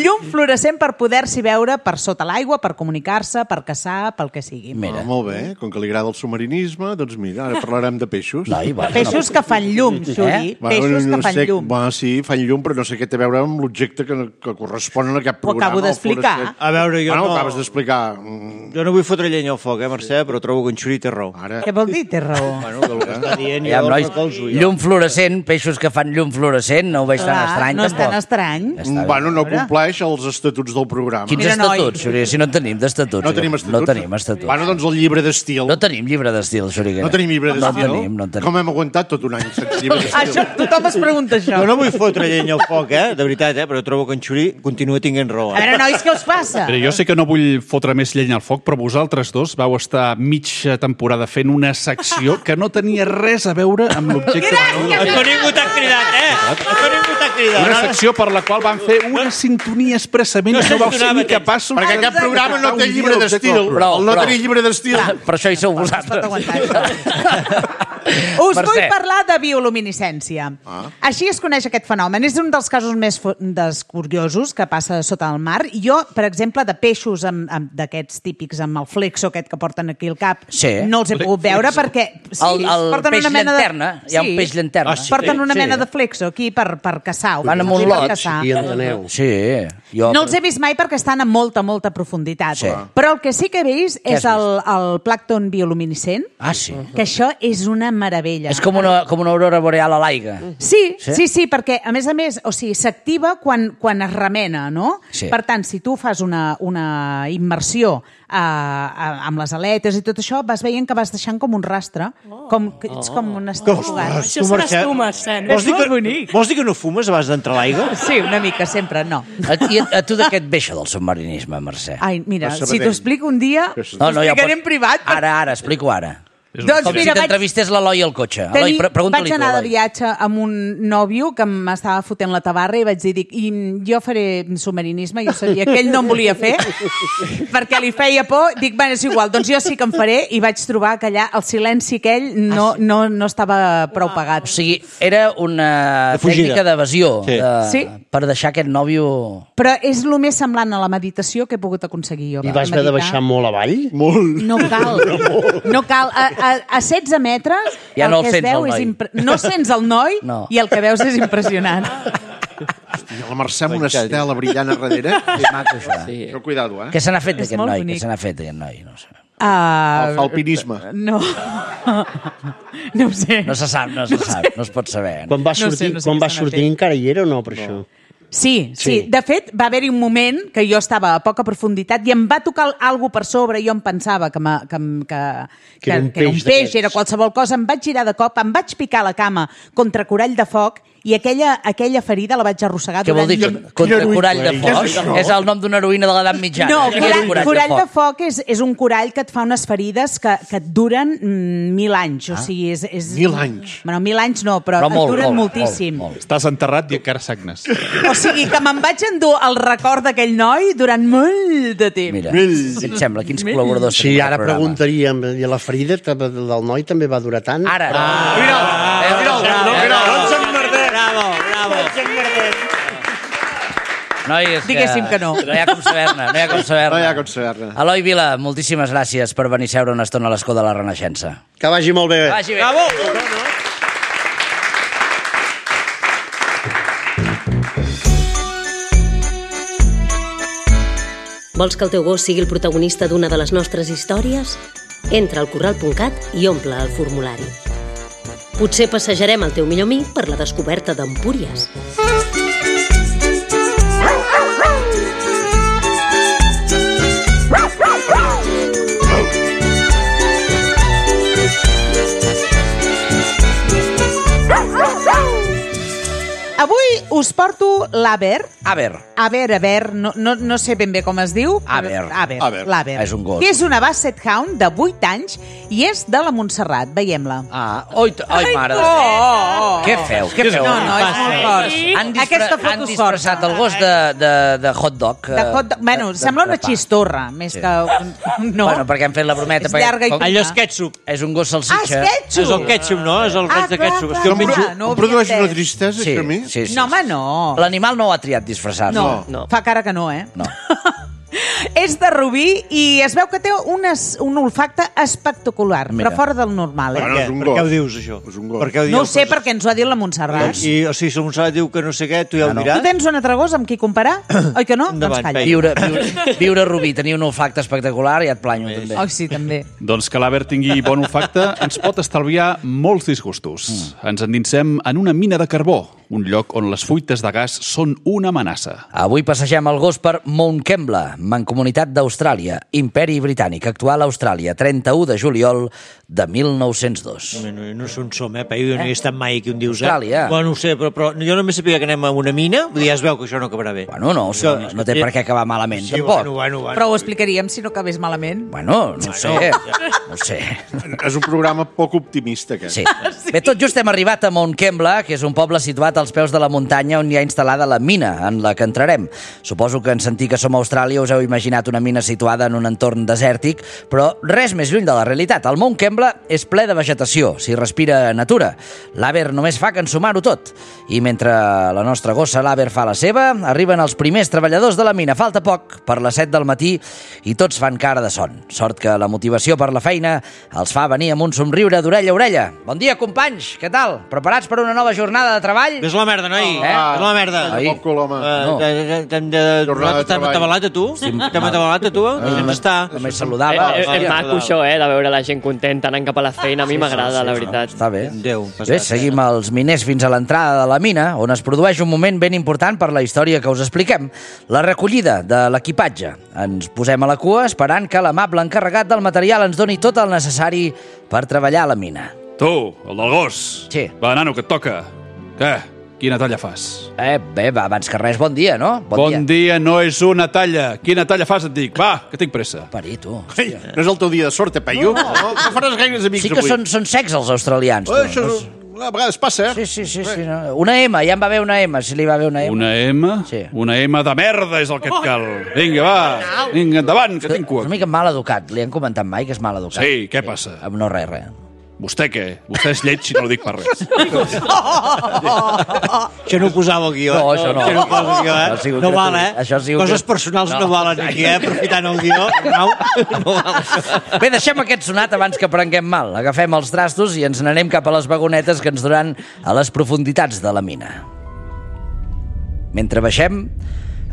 llum fluorescent per poder-s'hi veure per sota l'aigua, per comunicar-se, per caçar, pel que sigui.
Mira.
Molt bé, com que li agrada el submarinisme, doncs mira, ara parlarem de peixos.
Peixos que fan llum, Xuri. Peixos que fan llum.
Bueno, sí, fan llum, però no sé què té a veure amb l'objecte que correspon a aquest programa.
Ho acabo d'explicar.
A veure, jo
no...
no...
Ho acabes d'explicar.
Jo no vull fotre llenya al foc, Mercè, però trobo que en Xuri té raó.
Què vol dir, té raó?
Bueno, que el que està dient
Ja,
jo
nois,
recolzo.
llum fluorescent, peixos que fan llum fluorescent, no ho veig tan estrany,
no és tan
tampoc.
estrany.
Bueno, no compleix els estatuts del programa.
Quins estatuts, Xuri? Si no en tenim d'estatuts.
No tenim estatuts?
No tenim estatuts.
Bueno, doncs el llibre d'estil.
No tenim llibre d'estil, Xuriguera.
No tenim llibre d'estil?
No tenim.
Com hem aguantat tot un any sense llibre d'estil?
Això, tothom es pregunta això.
Jo no vull fotre llenya al foc, de veritat, però trobo que en Xuri continua tinguent raó.
A veure, nois, què us passa?
Però jo sé que no vull fotre més llenya al foc, però vosaltres dos vau estar mitja temporada fent una secció que no tenia res a veure amb l'objecte...
A ningú t'ha cridat, A ningú t'ha cridat.
Una secció per la qual van fer una sintonia expressament i no vau ser ni capaços...
Perquè aquest programa no té llibre d'estil. El no tenir llibre d'estil.
Per això hi sou vosaltres.
Us vull parlar de bioluminescència. Així es coneix aquest fenomen. És un dels casos més curiosos que passa sota el mar. Jo, per exemple, de peixos d'aquests típics amb el flexo aquest que porten aquí al cap, no els he pogut veure perquè...
El peix llanterna. Hi ha un peix llanterna.
Porten una mena de flexo aquí per caçar.
Van amb un lot.
Sí, enteneu.
Sí.
No els he vist mai perquè estan a molta profunditat. Però el que sí que he vist és el plàncton bioluminescent.
Ah, sí?
Que això és una meravella.
És com una aurora boreal a l'aigua.
Sí, perquè, a més, s'activa quan es remena, no?
Sí.
Per tant, si tu fas una immersió amb les aletes i tot això, vas veient que vas deixant com un rastre, ets com un estrugat.
Això seràs tu, Mercè.
Vols dir que no fumes abans d'entrar a l'aigua?
Sí, una mica, sempre, no.
A tu de què et ve això del submarinisme, Mercè?
Ai, mira, si t'ho explico un dia, t'ho explicaré en privat.
Ara, explico ara.
Doncs
com
mira,
si t'entrevistés l'Eloi al cotxe. Eloi, pregunta-li
vaig anar de viatge amb un nòvio que m'estava fotent la tabarra i vaig dir, jo faré submarinisme, jo sabia que ell no em volia fer, perquè li feia por, dic, bueno, és igual, doncs jo sí que em faré, i vaig trobar que allà el silenci aquell no estava prou pagat.
O sigui, era una tècnica d'evasió per deixar aquest nòvio...
Però és el més semblant a la meditació que he pogut aconseguir jo.
I vas haver de baixar molt avall?
Molt.
No cal. a 16 metres
ja no
el que es veu és... No sents el noi i el que veus és impressionant.
Hòstia, la Mercè amb una estela brillant a darrere.
És maco, això.
Però cuidado,
Què se n'ha fet d'aquest noi? Què se n'ha fet d'aquest noi? No sé.
El alpinisme.
No. No ho sé.
No se sap, no es pot saber.
Quan va sortir encara hi era o no, per això?
Sí. De fet, va haver-hi un moment que jo estava a poca profunditat i em va tocar alguna per sobre i jo em pensava que era un peix, era qualsevol cosa. Em vaig girar de cop, em vaig picar la cama contra corall de foc i aquella ferida la vaig arrossegar durant...
Què vol dir? Contra corall de foc? És el nom d'una heroïna de l'edat mitjana.
No, corall de foc és un corall que et fa unes ferides que et duren 1.000 anys. O sigui, és...
1.000 anys?
Bueno, 1.000 anys no, però et duren moltíssim.
Estàs enterrat i encara sagnes.
O sigui, que me'n vaig endur el record d'aquell noi durant molt de temps.
Mira, què et sembla? Quins col·laboradors
sí, ara preguntaríem, i la ferida del noi també va durar tant?
Ara. Noies,
diguéssim que no.
No hi ha com saber-ne. Eloi Vila, moltíssimes gràcies per venir a seure una estona a l'escó de la Renaixença.
Que vagi molt bé.
Que vagi bé.
Bravo!
Vols que el teu gos sigui el protagonista d'una de les nostres històries? Entra al corral.cat i omple el formulari. Potser passejarem el teu millor amic per la descoberta d'Empúries.
Avui us porto l'Aber.
Aber.
No sé ben bé com es diu. L'Aber.
És un gos.
Que és una Basset Hound de 8 anys i és de la Montserrat. Veiem-la.
Ai, mare. Què feu?
No, és molt fort. Aquesta foto
han disfressat el gos de hot dog.
Bueno, sembla una xistorra, més que... No.
Bueno, perquè han fet la brometa.
És llarga i...
Allò és ketchup.
És un gos salsitxa.
És el ketchup, no? És el raig de ketchup.
Em produeix una tristesa, això a mi?
Sí.
No, home, no.
L'animal no ho ha triat disfressar-se.
No. Fa cara que no,
No.
És de rubí i es veu que té un olfacte espectacular, però fora del normal.
Bueno, és un
Per
gos.
què ho dius, això?
És un gos.
No ho sé, perquè ens ho ha dit la Montserrat.
O sigui, si la Montserrat diu que no sé què, tu ja ho diràs?
Tu tens un altre gos amb qui comparar? Oi que no? Doncs calla.
Viure a Rubí, tenir un olfacte espectacular i et planyo, també.
Oh, sí, també.
Doncs que l'Aber tingui bon olfacte ens pot estalviar molts disgustos. Ens endinsem en una mina de carbó, un lloc on les fuites de gas són una amenaça.
Avui passegem el gos per Mount Kembla, mancomunitat d'Austràlia, Imperi Britànic, actual Austràlia, 31 de juliol de 1902.
No sé on som, Peyu, no hi he estat mai aquí on dius,
Austràlia.
Bueno, no ho sé, però jo només sabia que anem a una mina, vull dir, ja es veu que això no acabarà bé.
Bueno, no té per què acabar malament, tampoc.
Però ho explicaríem si no acabés malament.
Bueno, no sé.
És un programa poc optimista, aquest.
Sí. Bé, tot just hem arribat a Mount Kembla, que és un poble situat als peus de la muntanya on hi ha instal·lada la mina, en la que entrarem. Suposo que en sentir que som a Austràlia us heu imaginat una mina situada en un entorn desèrtic, però res més lluny de la realitat. El Mount Kembla és ple de vegetació, s'hi respira natura. L'Aber només fa que ensumar-ho tot. I mentre la nostra gossa, l'Aber, fa la seva, arriben els primers treballadors de la mina. Falta poc per les 7 del matí i tots fan cara de son. Sort que la motivació per la feina els fa venir amb un somriure d'orella a orella. Bon dia, companys, què tal? Preparats per una nova jornada de treball?
Ves la merda, noi. Ves la merda. T'hem atabalat a tu? T'hem atabalat a tu?
Només saludava.
És maco això, de veure la gent contenta anant cap a la feina. A mi m'agrada, la veritat.
Està bé.
Déu,
bé, seguim els miners fins a l'entrada de la mina, on es produeix un moment ben important per la història que us expliquem. La recollida de l'equipatge. Ens posem a la cua esperant que l'amable encarregat del material ens doni tot el necessari per treballar a la mina.
Tu, el del gos.
Sí.
Va, nano, que et toca. Què? Quina talla fas?
Bé, va, abans que res, bon dia, no?
Bon dia no és una talla. Quina talla fas, et dic? Va, que tinc pressa.
Pari, tu.
Ei, no és el teu dia de sort, Peyu? No faràs gaires amics
avui. Sí que
avui.
són secs els australians.
Això a vegades passa,
Sí. No. Una M, ja em va bé una M, si li va bé una M.
Una M?
Sí.
Una M de merda és el que et cal. Vinga, va. Vinga, endavant, que tinc cua.
És una mica mal educat. Li han comentat mai que és mal educat?
Sí, què passa?
No, res.
Vostè què? Vostè és lleig si no ho dic per res.
Això no ho posava al guió.
No, això no.
Això no ho posa al guió, No val, Coses personals no valen aquí, aprofitant el guió. No val això.
Bé, deixem aquest sonat abans que prenguem mal. Agafem els trastos i ens n'anem cap a les vagonetes que ens duran a les profunditats de la mina. Mentre baixem,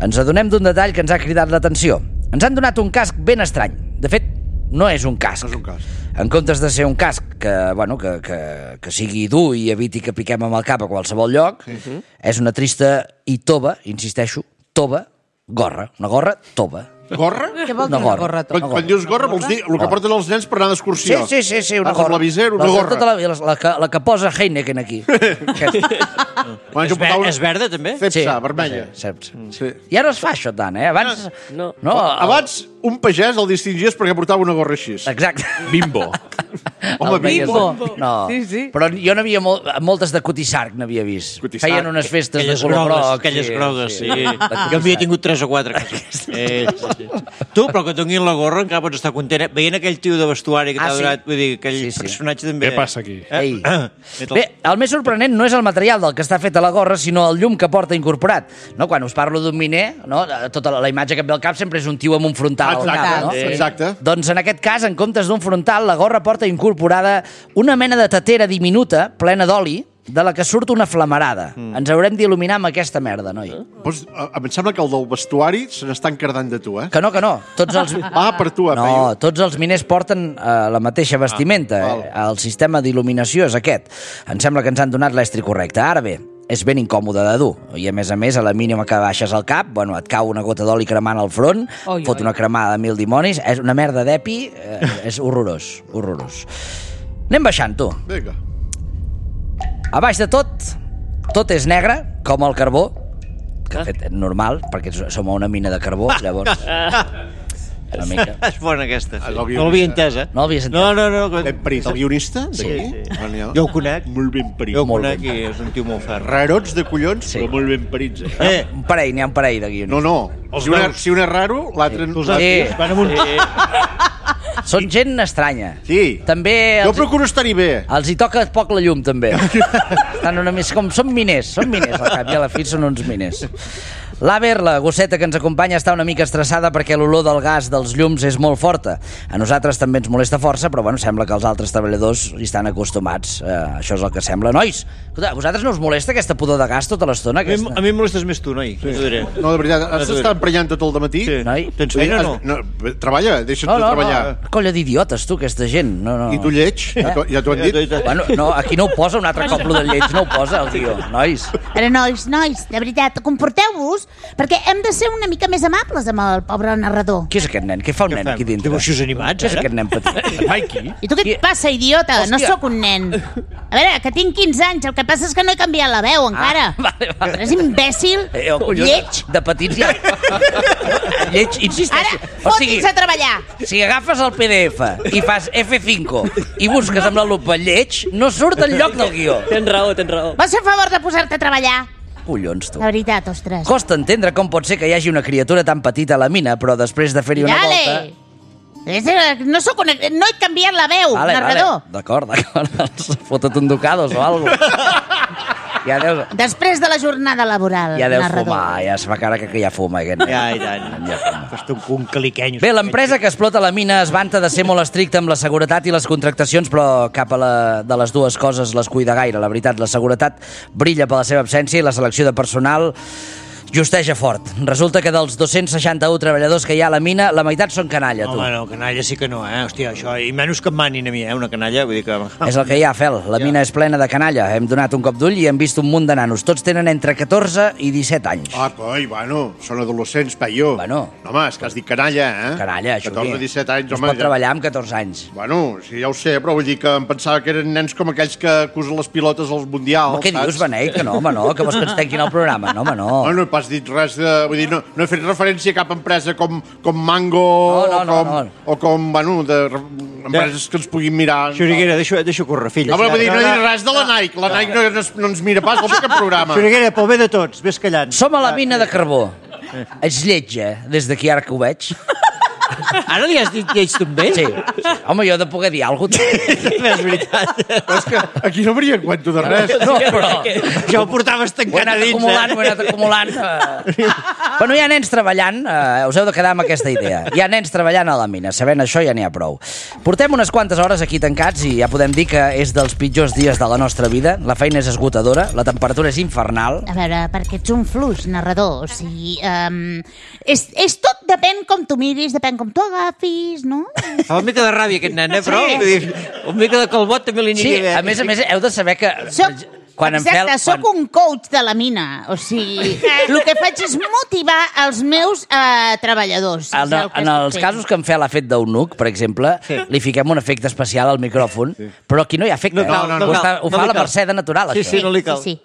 ens adonem d'un detall que ens ha cridat l'atenció. Ens han donat un casc ben estrany. De fet, no és un casc.
No és un casc.
En comptes de ser un casc que sigui dur i eviti que piquem amb el cap a qualsevol lloc, és una trista i tova, insisteixo, tova, gorra. Una gorra tova.
Gorra?
Què vol dir una gorra?
Quan dius gorra vols dir el que porten els nens per anar d'excursió.
Sí, una gorra.
La viser, una gorra.
La que posa Heineken aquí.
És verda, també?
Cepsa, vermella.
I ara es fa això tant, Abans...
No.
Abans un pagès el distingies perquè portava una gorra així.
Exacte.
Bimbo.
Home,
Bimbo.
No.
Sí.
Però jo n'havia moltes de Cutisarc, n'havia vist. Feien unes festes de color groc.
Aquelles grogues, sí. Jo havia tingut 3 o 4. Tu, però que tinguin la gorra encara pots estar content. Veient aquell tio de vestuari que t'ha donat, vull dir, aquell personatge també...
Què passa aquí?
Bé, el més sorprenent no és el material del que està fet a la gorra, sinó el llum que porta incorporat. Quan us parlo d'un miner, tota la imatge que em ve al cap sempre és un tio amb un frontal al cap.
Exacte.
Doncs en aquest cas, en comptes d'un frontal, la gorra porta incorporada una mena de tetera diminuta, plena d'oli, de la que surt una flamarada. Ens haurem d'il·luminar amb aquesta merda, noi.
Pues, em sembla que el del vestuari se n'està encardant de tu,
Que no. Tots els...
per tu,
No, tots els miners porten la mateixa vestimenta. El sistema d'il·luminació és aquest. Em sembla que ens han donat l'estri correcte. Ara bé, és ben incòmode de dur. I a més, a la mínima que baixes el cap, et cau una gota d'oli cremant al front, fot una cremada de 1000 dimonis, és una merda d'epi, és horrorós. Anem baixant, tu.
Vinga.
A baix de tot és negre, com el carbó, que de fet és normal, perquè som a una mina de carbó, llavors... Una mica.
És bona aquesta. No l'havia entès,
No l'havies entès?
No.
Ben parit, el guionista?
Sí. Jo ho conec.
Molt ben parit.
Jo ho conec i és un tio molt ferm.
Rarots de collons, però molt ben parits.
N'hi ha un parell de guionistes.
No. Si un és raro, l'altre...
Són gent estranya.
Sí.
També
jo procuro estar-hi bé.
Els hi toca poc la llum, també. Estan una mica com... Són miners, al cap i a la fi són uns miners. L'Aver, la gosseta que ens acompanya, està una mica estressada perquè l'olor del gas dels llums és molt forta. A nosaltres també ens molesta força, però sembla que els altres treballadors hi estan acostumats. Això és el que sembla. Nois, escolta, a vosaltres no us molesta aquesta pudor de gas tota l'estona?
A mi em molestes més tu, noi.
Sí. No, de veritat, has d'estar emprenyant tot el dematí?
Sí.
Noi?
Tens feina o no?
Treballa, deixa't de treballar.
Colla d'idiotes, tu, aquesta gent. No.
I tu lleig? Ja t'ho han dit?
No, aquí no ho posa, un altre cop lo del lleig, no ho posa el guió. Nois.
Però nois, de veritat, comporteu-vos, perquè hem de ser una mica més amables amb el pobre narrador.
Qui és aquest nen? Què fa un nen aquí dintre?
Dibuixos animats,
Qui és aquest nen petit?
Mikey?
I tu què et passa, idiota? No sóc un nen. A veure, que tinc 15 anys, el que passa és que no he canviat la veu encara.
Vale.
És imbècil, lleig.
De petits ja. Lleig, insisteixo.
Ara, fotis a treballar.
Si agafes el PDF i fas F5 i busques amb la lupa lleig, no surt el lloc del guió.
Tens raó.
Vols fer favor de posar-te a treballar?
Collons, tu.
La veritat, ostres.
Costa entendre com pot ser que hi hagi una criatura tan petita a la mina, però després de fer-hi una volta...
No he canviat la veu, narrador.
D'acord. Fota't un ducados o alguna cosa.
Després de la jornada laboral,
ja deus
narrador.
fumar, ja es fa cara que ja fuma.
Ja, i tant. Ja un caliqueny.
Bé, l'empresa que explota la mina es vanta de ser molt estricta amb la seguretat i les contractacions, però cap de les dues coses les cuida gaire. La veritat, la seguretat brilla per la seva absència i la selecció de personal justeja fort. Resulta que dels 261 treballadors que hi ha a la mina, la meitat són canalla, tu.
Home, no, canalla sí que no, Hòstia, això... I menys que em manin a mi, una canalla, vull dir que...
És el que hi ha, Fel. La mina és plena de canalla. Hem donat un cop d'ull i hem vist un munt de nanos. Tots tenen entre 14 i 17 anys.
Són adolescents, paio.
No,
home, és que has dit canalla,
Canalla, això
14 o 17 anys,
home. Es pot treballar amb 14 anys.
Sí, ja ho sé, però vull dir que em pensava que eren nens com aquells que acusen les pilotes als mundials,
saps? Què dius, Beneit? Que no, home, no, que vols que ens tanquin el programa? No, home, no.
No he pas dit res de... Vull dir, no he fet referència a cap empresa com Mango o com, empreses que ens puguin mirar.
Xuriguera, deixa córrer, fill.
No he dit res de la Nike. La Nike no ens mira pas al cap programa.
Xuriguera, pel bé de tots, vés callant.
Som a la mina de carbó. Ets lleig, des d'aquí ara que ho veig.
Ara li has dit lleig també?
Sí. Home, jo he de poder dir alguna cosa.
És veritat.
Però és que aquí no hauria cuento de res.
No, però...
Ja ho portaves tancat a dins,
ho he anat acumulant. Bueno, hi ha nens treballant, us heu de quedar amb aquesta idea. Hi ha nens treballant a la mina, sabent això ja n'hi ha prou. Portem unes quantes hores aquí tancats i ja podem dir que és dels pitjors dies de la nostra vida. La feina és esgotadora, la temperatura és infernal.
A veure, perquè ets un fluix narrador, o sigui... és tot, depèn com tu miris, depèn com tu agafis, no?
Fa una mica de ràbia aquest nen, però una mica de calbot també li aniria bé.
Sí, a més, heu de saber que...
Exacte, sóc un coach de la mina. O sigui, el que faig és motivar els meus treballadors.
En els casos que en Fel ha fet d'eunuc, per exemple, li fiquem un efecte especial al micròfon, però aquí no hi ha efecte. Ho fa la Mercè de natural, això.
Sí, no li cal.
Sí.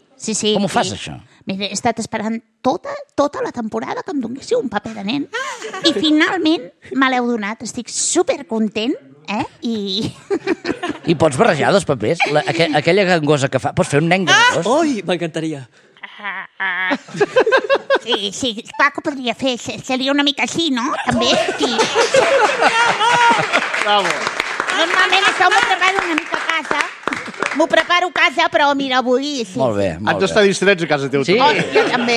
Com ho fas, això?
Mira, he estat esperant tota la temporada que em donéssiu un paper de nen i finalment me l'heu donat. Estic supercontent,
I pots barrejar dos papers? Aquella gangosa que fa... Pots fer un nen gangós?
Ui, m'encantaria.
Sí, clar que ho podria fer. Seria una mica així, no? També. Sí.
Bravo.
Normalment això m'ho preparo una mica a casa. M'ho preparo a casa, però mira, avui... Sí.
Molt bé,
Haig d'estar distrets a casa teu.
Sí.
Jo també.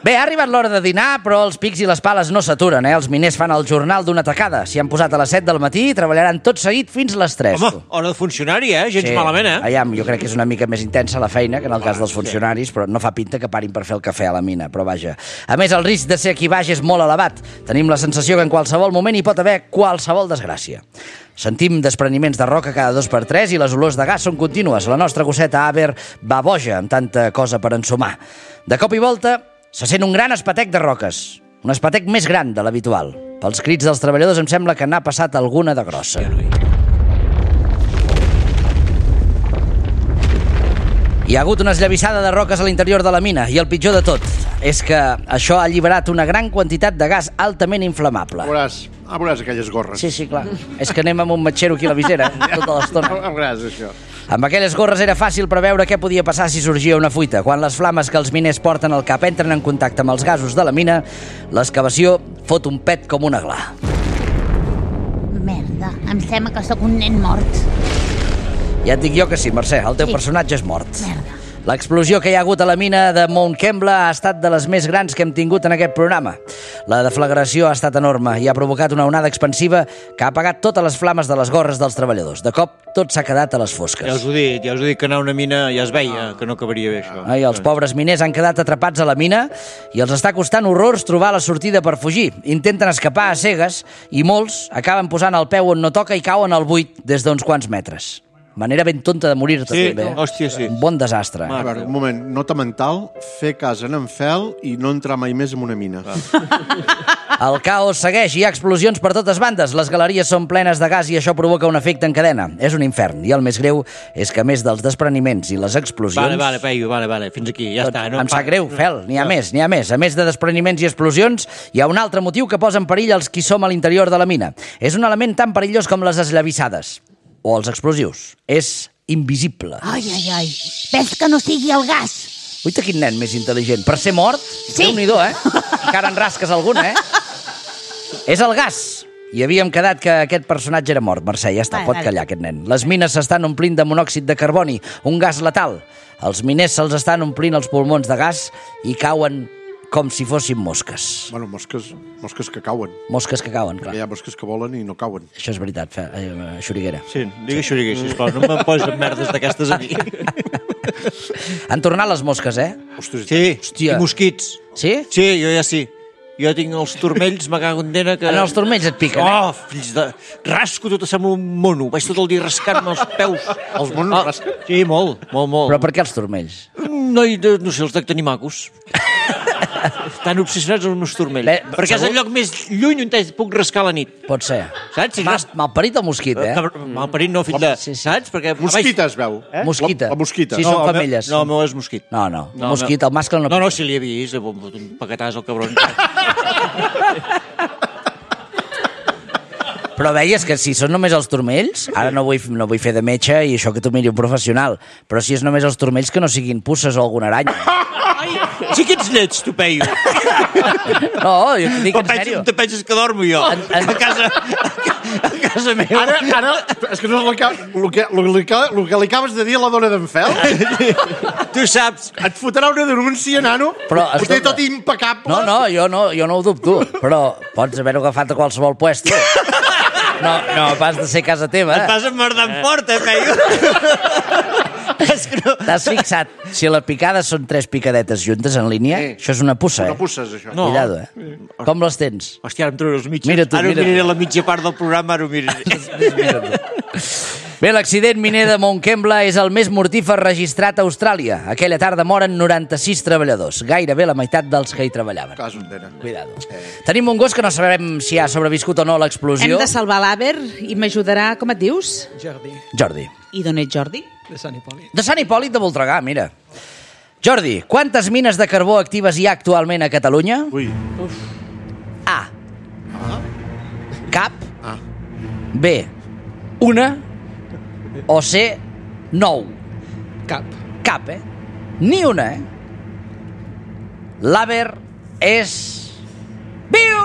Bé, ha arribat l'hora de dinar, però els pics i les pales no s'aturen, Els miners fan el jornal d'una tacada. S'hi han posat a les 7 del matí i treballaran tot seguit fins les 3.
Home, hora de funcionari, gens malament,
Aviam, jo crec que és una mica més intensa la feina que en el cas dels funcionaris, però no fa pinta que parin per fer el cafè a la mina, però vaja. A més, el risc de ser aquí baix és molt elevat. Tenim la sensació que en qualsevol moment hi pot haver qualsevol desgràcia. Sentim despreniments de roca cada 2x3 i les olors de gas són contínues. La nostra gosseta Aver va boja amb tanta cosa per ensumar. De cop i volta se sent un gran espatec de roques. Un espatec més gran de l'habitual. Pels crits dels treballadors em sembla que n'ha passat alguna de grossa. Hi ha hagut una esllavissada de roques a l'interior de la mina i el pitjor de tot és que això ha alliberat una gran quantitat de gas altament inflamable.
Veuràs aquelles gorres.
Sí, clar. És que anem amb un matxero aquí a la visera tota l'estona.
Veuràs això.
Amb aquelles gorres era fàcil preveure què podia passar si sorgia una fuita. Quan les flames que els miners porten al cap entren en contacte amb els gasos de la mina, l'excavació fot un pet com una gla.
Merda, em sembla que sóc un nen mort.
Ja et dic jo que sí, Mercè, el teu personatge és mort.
Merda.
L'explosió que hi ha hagut a la mina de Mount Kembla ha estat de les més grans que hem tingut en aquest programa. La deflagració ha estat enorme i ha provocat una onada expansiva que ha apagat totes les flames de les gorres dels treballadors. De cop, tot s'ha quedat a les fosques.
Ja us ho he dit que anar a una mina ja es veia, que no acabaria bé això.
Els pobres miners han quedat atrapats a la mina i els està costant horrors trobar la sortida per fugir. Intenten escapar a cegues i molts acaben posant el peu on no toca i cauen al buit des d'uns quants metres. Manera ben tonta de morir-te, també.
Hòstia, sí.
Un bon desastre.
A veure, un moment, nota mental, fer cas en Fel i no entrar mai més en una mina.
El caos segueix, hi ha explosions per totes bandes, les galeries són plenes de gas i això provoca un efecte en cadena. És un infern, i el més greu és que a més dels despreniments i les explosions...
Vale, Peyu, fins aquí, ja està.
Em sap greu, Fel, n'hi ha més. A més de despreniments i explosions, hi ha un altre motiu que posa en perill els qui som a l'interior de la mina. És un element tan perillós com les esllavissades. O els explosius. És invisible.
Ai. Ves que no sigui el gas.
Uita, quin nen més intel·ligent. Per ser mort, Déu-n'hi-do, Encara en rasques alguna, És el gas. I havíem quedat que aquest personatge era mort. Mercè, ja està, pot callar aquest nen. Les mines s'estan omplint de monòxid de carboni, un gas letal. Els miners se'ls estan omplint els pulmons de gas i cauen com si fossin mosques.
Bueno, mosques que cauen.
Mosques que cauen, clar.
Hi ha mosques que volen i no cauen.
Això és veritat, Xuriguera.
Sí, digues Xuriguera, sisplau, no me'n posis merdes d'aquestes a mi.
Han tornat les mosques,
Sí, i mosquits.
Sí?
Sí, jo ja sí. Jo tinc els turmells, me cago en dena que...
En els turmells et piquen,
fills de... Rasco, tot sembla un mono. Vaig tot el dia rascant-me els peus.
Els monos rasquen?
Sí, molt.
Però per què els turmells?
No sé, els dec tenir macos. Estan obsessionats amb els meus turmells. Perquè és el lloc més lluny on puc rascar a la nit.
Pot ser.
Saps?
Malparit o mosquit,
Malparit no, fill de... Saps? Perquè...
Mosquita es veu.
Mosquita.
La mosquita.
Sí, són femelles.
No, el meu és mosquit.
No. Mosquit, el mascle no...
No, si l'hi he vist, un paquetàs al cabron.
Però veies que si són només els turmells, ara no vull fer de metge i això que tu miri un professional, però si és només els turmells que no siguin puces o alguna aranya.
Sí que ets lleig, tu, Peyu.
No, jo dic en sèrio.
Te penses que dormo jo? A casa meva.
Ara, és que no és el que li acabes de dir a la dona d'en Fel.
Tu saps.
Et fotrà una denúncia, nano.
Però,
ho té tot impecable.
No, jo no ho dubto. Però pots haver-ho agafat a qualsevol puesto. No, pas de ser casa teva.
Et vas emmerdant fort, Peyu.
T'has fixat? Si la picada són 3 picadetes juntes en línia, això és una puça,
Una puça, és això.
No.
Cuidado, Com les tens?
Hòstia, ara em trobaré els mitjos.
Mira tu,
ara miraré la mitja part del programa, ara ho miraré.
Bé, l'accident miner de Montcambla és el més mortífer registrat a Austràlia. Aquella tarda moren 96 treballadors, gairebé la meitat dels que hi treballaven.
Casos tenen.
Cuidado. Tenim un gos que no sabem si ha sobreviscut o no a l'explosió.
Hem de salvar l'Aver i m'ajudarà, com et dius?
Jordi.
I d'on ets, Jordi?
De Sant Hipòlit.
De Sant Hipòlit de Voltregà, mira. Jordi, quantes mines de carbó actives hi ha actualment a Catalunya?
Ui.
A. Cap. B. Una. O C. 9. Cap, Ni una, L'Aver és... viu!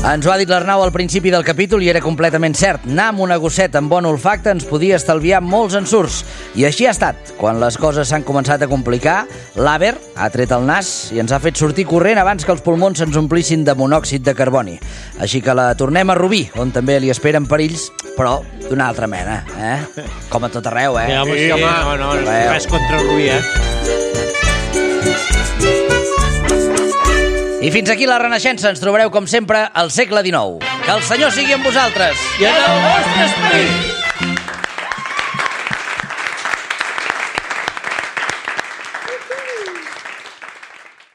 Ens ho ha dit l'Arnau al principi del capítol i era completament cert. Anar amb una gosseta amb bon olfacte ens podia estalviar molts ensurts. I així ha estat. Quan les coses s'han començat a complicar, l'Aver ha tret el nas i ens ha fet sortir corrent abans que els pulmons se'ns omplissin de monòxid de carboni. Així que la tornem a Rubí, on també li esperen perills, però d'una altra mena, Com a tot arreu,
Ja, home, sí, no, res contra Rubí,
I fins aquí la Renaixença. Ens trobareu, com sempre, al segle XIX. Que el Senyor sigui amb vosaltres.
I en el vostre esperit.